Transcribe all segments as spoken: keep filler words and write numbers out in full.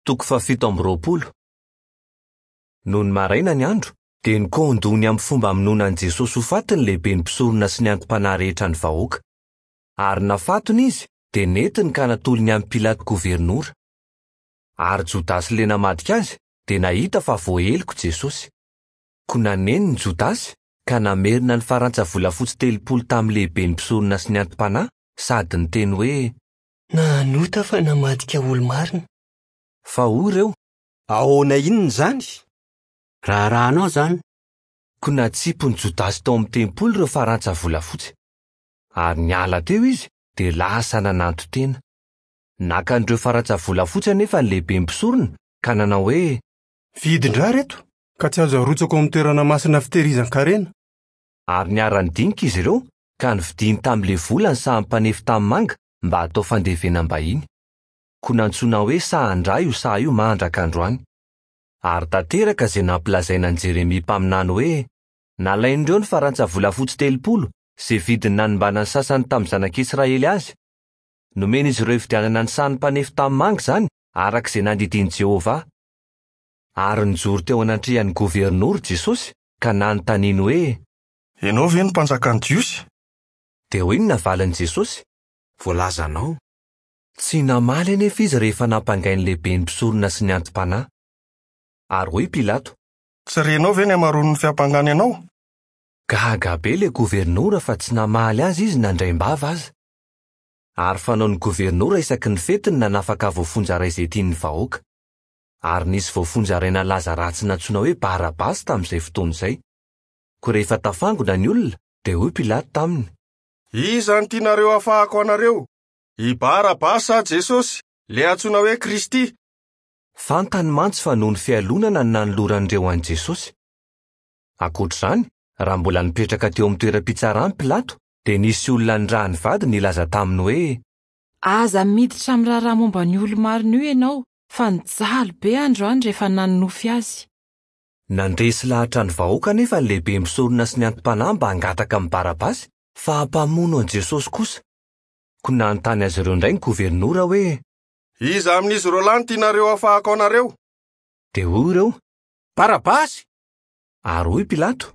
Toko fahafito amby roapolo. Nony maraina ny andro, dia nikaon-doha ny amin'ny fomba hamonoana an'i Jesosy ho faty ny lehiben'ny mpisorona sy ny anti-panahy rehetra ny vahoaka. Ary nafatony izy, dia nentiny ka natolony amin'i Pilato governora. Ary Jodasy ilay namadika azy, dia nahita fa voaheloka Jesosy. Koa naneniny Jodasy ka namerina ny farantsa volafotsy telopolo tamin'ny lehiben'ny mpisorona sy ny anti-panahy sady niteny hoe: Nanota fa namadika olo-marina. Fa hoy ireo: Ahoana inona izany? Raharahanao izany. Koa natsipin'i Jodasy tao amin'ny tempoly ireo farantsa volafotsy. Ary niala teo izy, dia lasa nananton-tena. Naka an'ireo farantsa volafotsy anefa ny lehiben'ny mpisorona ka nanao hoe: Vidin-draha ireto, ka tsy azo arotsaka ao amin'ny toerana masina fitehirizan-karena. Ary niara-nidinika izy ireo ka nividiany tamin'ilay vola ny sahan'ny mpanefy tanimanga mba hatao fandevenam-bahiny. Koa nantsoina hoe sahan-dra io saha io mandraka androany. Ary tanteraka izay nampilazaina an'i Jeremia mpaminany hoe: Nalain'ireo ny farantsa volafotsy telopolo izay vidiny nanimbana ny sasany tamin'ny zanak'Israely azy. Nomen'izy ireo hividianana ny sahan'ny mpanefy tanimanga izany araka izay nandidian'i Jehovah. Ary nijoro teo anatrehan'ny governora Jesosy ka nanontaniany hoe: Ianao ve no mpanjakan'ny Jiosy? Dia hoy ny navalin'i Jesosy: Voalazanao. Tsy namaly anefa izy rehefa nampangain'ny lehiben'ny mpisorona sy ny anti-panahy. Ary hoy Pilato: Tsy renao ve ny hamaroan'ny fiampangana ianao? Gaga be ilay governora fa tsy namaly azy izy nandraim-bava aza. Ary fanaon'ny governora isaky ny fety ny nanafaka voafonja iray izay tian'ny vahoaka. Ary nisy voafonja iray nalaza ratsy nantsoina hoe Barabasy tamin'izay fotoana izay. Koa rehefa tafangona ny olona, dia hoy Pilato taminy: Iza no tianareo hafahako anareo? I Barabasy sa Jesosy, ilay antsoina hoe Kristy? Fantany mantsy fa noho ny fialonana no nanoloran'ireo an'i Jesosy. Ankoatr'izany, raha mbola nipetraka teo amin'ny toeram-pitsarany Pilato, dia nisy olona nirahan'ny vadiny nilaza taminy hoe: Aza miditra amin'ny raharaha momba ny olo-marina io ianao, fa nijaly be androany rehefa nanonofy azy. Nandresy lahatra ny vahoaka anefa ny lehiben'ny mpisorona sy ny anti-panahy mba hangataka amin'i Barabasy fa hampamono an'i Jesosy kosa. Koa nanontany azy ireo indray ny governora hoe: Iza amin'izy roa lahy no tianareo hafahako anareo? Dia hoy ireo: Barabasy! Ary hoy Pilato: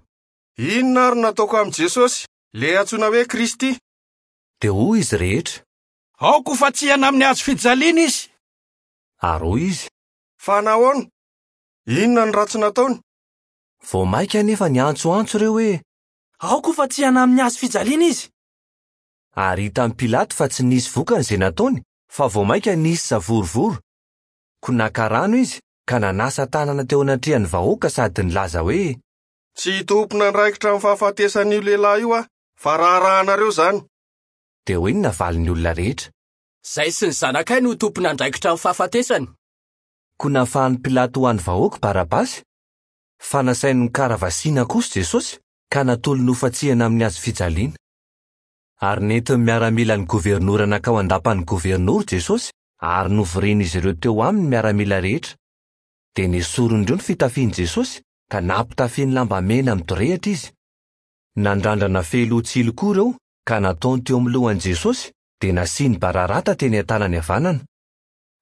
Inona ary no nataoko amin'i Jesosy, ilay antsoina hoe Kristy? Dia hoy izy rehetra: Aoka ho fantsihana amin'ny hazo fijaliana izy. Ary hoy izy: Fa nahoana? Inona no ratsy nataony? Vao mainka anefa niantsoantso ireo hoe: Aoka ho fantsihana amin'ny hazo fijaliana izy. Ary hitan'i Pilato fa tsy nisy vokany izay nataony, fa vao mainka nisy savorovoro. Koa naka rano izy ka nanasa tanana teo anatrehan'ny vahoaka sady nilaza hoe: Tsy tompon'andraikitra amin'ny fahafatesan'io lehilahy io aho, fa raharahanareo izany. Dia hoy ny navalin'ny olona rehetra: Izahay sy ny zanakay no tompon'andraikitra amin'ny fahafatesany. Koa nafahan'i Pilato ho an'ny vahoaka Barabasy, fa nasainy nokaravasiana kosa Jesosy ka natolony ho fantsihana amin'ny hazo fijaliana. Ary nentin'ny miaramilan'ny governora nankao an-dapan'ny governora Jesosy ary novorian'izy ireo teo aminy ny miaramila rehetra. Dia nesorin'ireo ny fitafian'i Jesosy ka nampitafiany lamba mena midorehitra izy. Nandrandrana fehiloha tsilo koa ireo ka nataony teo amin'ny lohan'i Jesosy, dia nasiany bararata teny an-tanany havanana.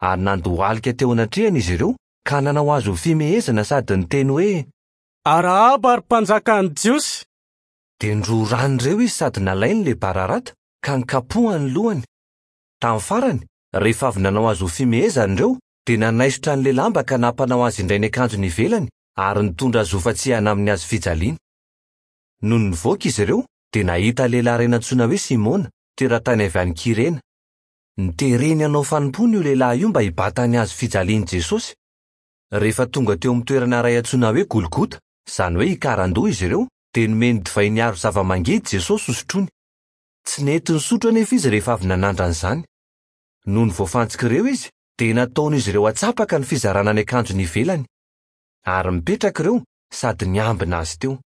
Ary nandohalika teo anatrehany izy ireo ka nanao azy ho fimehezana sady niteny hoe: Arahaba ry mpanjakan'ny Jiosy! Dia nororan'ireo izy sady nalainy ilay bararata ka nikapohany ny lohany. Tamin'ny farany, rehefa avy nanao azy ho fimehezana ireo, dia nanaisotra an'ilay lamba ka nampanao azy indray ny akanjony ivelany ary nitondra azy ho fantsihana amin'ny hazo fijaliana. Nony nivoaka izy ireo, dia nahita lehilahy iray nantsoina hoe Simona, teratany avy any Kirena. Nitereny hanao fanompoana io lehilahy io mba hibata ny hazo fijalian'i Jesosy. Rehefa tonga teo amin'ny toerana iray antsoina hoe Golgota, izany hoe Ikarandoha izy ireo, dia nomeny divay niaro zava-mangidy Jesosy hosotroiny. Tsy nety nisotro anefa izy rehefa avy nanandrana izany. Nony voafantsika ireo izy, dia nataon'izy ireo atsapaka ny fizarana ny akanjony ivelany. Ary mipetraka ireo sady niambina azy teo.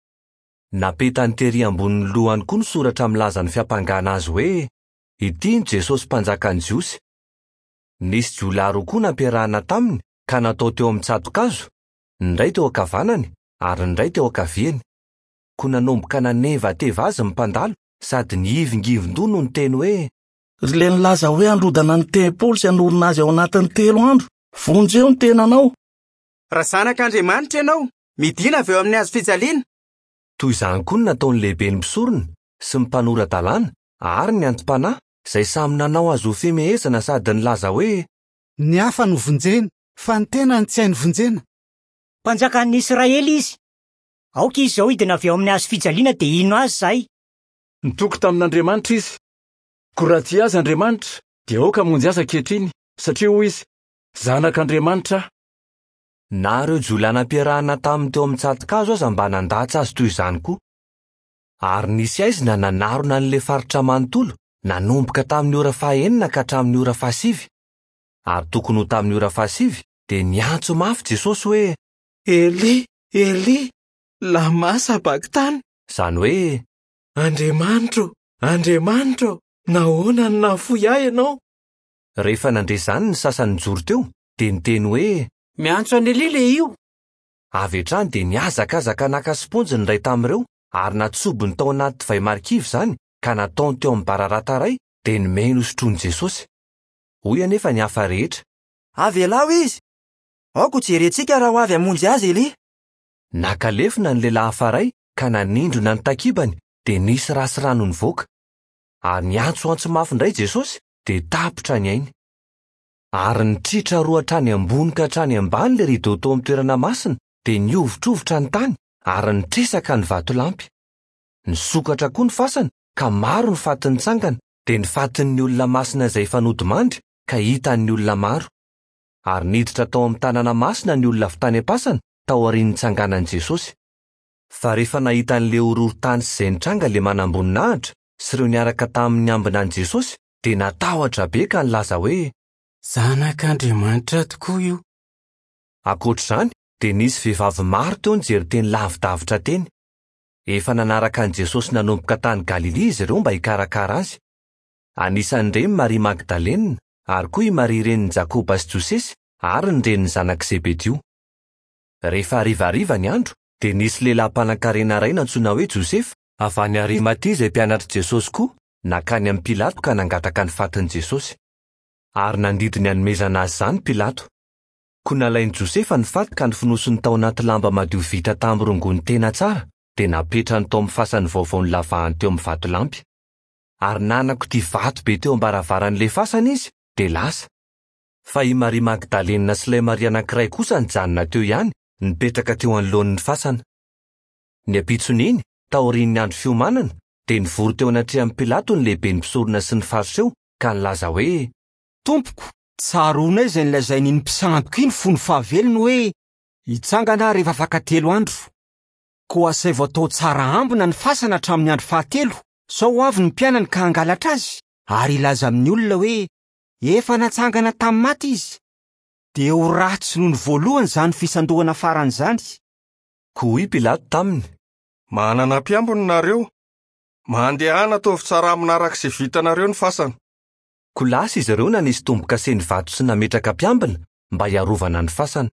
Napetany tery ambonin'ny lohany koa ny soratra milaza ny fiampangana azy hoe: Ity ny Jesosy mpanjakan'ny Jiosy. Nisy jiolahy roa koa nampiarahana taminy ka natao teo amin'ny tsato-kazo, ny iray teo ankavanany ary ny iray teo ankaviany. Koa nanomboka nanevateva azy ny mpandalo sady nihivingivin-doha no niteny hoe: Ry ilay nilaza hoe handrodana ny tempoly sy hanorina azy ao anatin'ny telo andro, Vonjeo ny tenanao. Raha zanak'Andriamanitra ianao, midina avy eo amin'ny hazo fijaliana. Toy izany koa no nataon'ny lehiben'ny mpisorona sy ny mpanora-dalàna ary ny anti-panahy izay samy nanao azy ho fimehezana sady nilaza hoe: Ny hafa no vonjena, fa ny tenany tsy hainy vonjena. Mpanjakan'ny Israely izy. Aoka izy izao hidina avy eo amin'ny hazo fijaliana dia hino azy izahay. Nitoky tamin'Andriamanitra izy. Koa raha tia azy Andriamanitra, dia aoka hamonjy azy ankehitriny, satria hoy izy: Zanak'Andriamanitra aho. Na ireo jiolahy nampiarahana taminy teo amin'ny tsato-kazo aza mba nandatsa azy toy izany koa. Ary nisy aizina nanarona an'ilay faritra manontolo, nanomboka tamin'ny ora fahaenina ka hatramin'ny ora fahasivy. Ary tokony ho tamin'ny ora fahasivy dia niantso mafy Jesosy hoe: Eli, Eli, lama sabaktany. Izany hoe: Andriamanitro, Andriamanitro, nahoana no nahafoy ahy ianao? Rehefa nandre izany ny sasany nijoro teo, dia niteny hoe: Miantso an'i Elia ilay io. Avy hatrany dia nihazakazaka naka siponjy ny iray tamin'ireo ary natsobony tao anaty divay marikivy izany ka nataony teo amin'ny bararata iray dia nomeny hosotroin'i Jesosy. Hoy anefa ny hafa rehetra: Avelao izy. Aoka ho jerentsika raha ho avy hamonjy azy Elia. Naka lefona ny lehilahy hafa iray ka nanindrona ny takibany dia nisy ra sy rano nivoaka. Ary niantsoantso mafy indray Jesosy dia tapitra ny ainy. Ary nitritra roa hatrany ambony ka hatrany ambany ilay rideau tao amin'ny toerana masina dia nihovitrovitra ny tany ary nitresaka ny vatolampy. Nisokatra koa ny fasana ka maro ny faty nitsangana, dia ny fatin'ny olona masina izay efa nodimandry ka hitan'ny olona maro. Ary niditra tao amin'ny tanàna masina ny olona avy tany am-pasana taorian'ny nitsanganan'i Jesosy. Fa rehefa nahita an'ilay horohorontany sy izay nitranga ilay manamboninahitra sy ireo niaraka tamin'ny ambina an'i Jesosy dia natahotra be ka nilaza hoe: Zanak'Andriamanitra tokoa io. Ankoatr'izany dia nisy vehivavy maro teo nijery teny lavidavitra teny. Efa nanaraka an'i Jesosy nanomboka tany Galilia izy ireo mba hikarakara azy. Anisan'ireny Maria Magdalena ary koa i Maria renin'i Jakoba sy Josesy ary ny renin'ny zanak'i Zebedio. Rehefa harivariva ny andro dia nisy lehilahy mpanankarena iray nantsoina hoe Josefa avy any Arimatia izay mpianatr'i Jesosy koa nankany amin'i Pilato ka nangataka ny fatin'i Jesosy. Ary nandidy ny hanomezana azy izany Pilato. Koa nalain'i Josefa ny faty ka nofonosiny tao anaty lamba madio vita tamin'ny rongony tena tsara dia napetrany tao amin'ny fasany vaovao nolavahany teo amin'ny vatolampy. Ary nanakotia vato be teo am-baravaran'ilay fasana izy dia lasa. Fa i Maria Magdalena sy ilay Maria anankiray kosa nijanona teo ihany, nipetraka teo anoloan'ny fasana. Ny ampitson'iny, taorian'ny andro fiomanana, dia nivory teo anatrehan'i Pilato ny lehiben'ny mpisorona sy ny Fariseo ka nilaza hoe: Tompoko, tsaroanay izay nilazain'iny mpisandoka iny fony fahavelony hoe hitsangana aho rehefa afaka telo andro. Koa asaivo atao tsara ambina ny fasana hatramin'ny andro fahatelo, sao ho avy ny mpianany ka hangalatra azy ary hilaza amin'ny olona hoe efa natsangana tamin'ny maty izy. Dia ho ratsy noho ny voalohany izany fisandohana farany izany. Koa hoy Pilato taminy: Manana mpiambina nareo. Mandehana ataovy tsara amina araka izay vitanareo ny fasana. Koa lasa izy ireo nanisy tombo-kase ny vato sy nametraka mpiambina mba hiarovana ny fasana.